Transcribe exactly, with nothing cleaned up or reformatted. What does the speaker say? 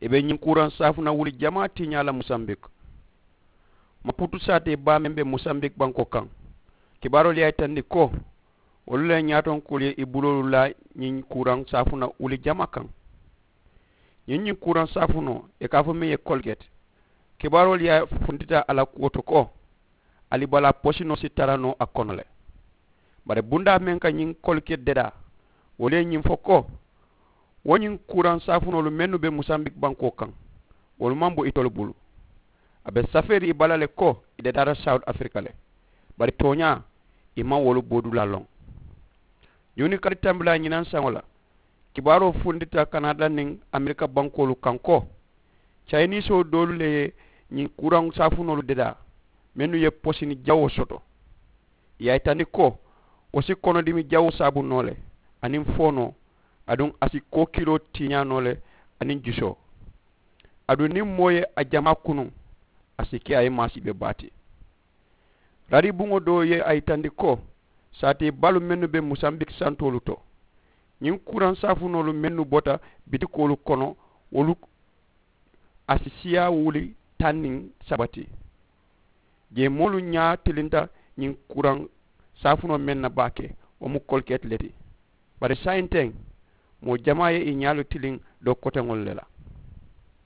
I be ñiŋ kuuraŋ saafuna wuli jamaa tiiñaa la musambik. Maputu saatee baa meŋ be musambik bankoo kaŋ, kibaaroolu ye a yitandi ko wolu le ye ñaatonkoolu ye i buloolu laa ñiŋ kuuraŋ saafuna wuli jamaa kaŋ. Ñiŋ ñiŋ kuuraŋ saafunoo i ka a fo meŋ ye koliketi, kibaaroolu ye a funtita a la kuwo to ko ali balaa posinoo si tara noo a kono le. Bari bundaa meŋ ka ñiŋ koliketi dedaa, wolu ye ñiŋ fo ko wo ñiŋ kuuraŋ saafunoolu mennu be musambik bankoo kaŋ, wolu maŋ bo itolu bulu. A be safeeri i bala le ko i dedaata sawuti afirika le. Bari tooñaa, i maŋ wolu bodulaa loŋ. Juunikali tambilaa ñinaŋ saŋo la, kibaaroo funtita kanada niŋ amerika bankoolu kaŋ ko cayinisoo doolu le ye ñiŋ kuuraŋ saafunoolu dedaa, mennu ye posini jawoo soto. I ye a yitandi ko wo si konodimi jawoo saabu noo le, aniŋ foonoo, aduŋ a si kookiloo tiiñaa noo le, aniŋ jusoo. Aduŋ niŋ moo ye a jamaa kunuŋ, a si ke a ye maasiibe baa ti. Rari buŋo doo ye a yitandi ko saatee baalu mennu be musambiki santoolu to, ñiŋ kuuraŋ saafunoolu mennu bota bitikoolu kono, wolu a si siyaa wuli taŋ niŋ saba ti. Jee moolu ñaa tilinta ñiŋ kuuraŋ saafunoo meŋ na baake, wo mu koliketi le ti. Bari saayiŋ teŋ moo jamaa ye i ñaalu tiliŋ doo koteŋolu le la.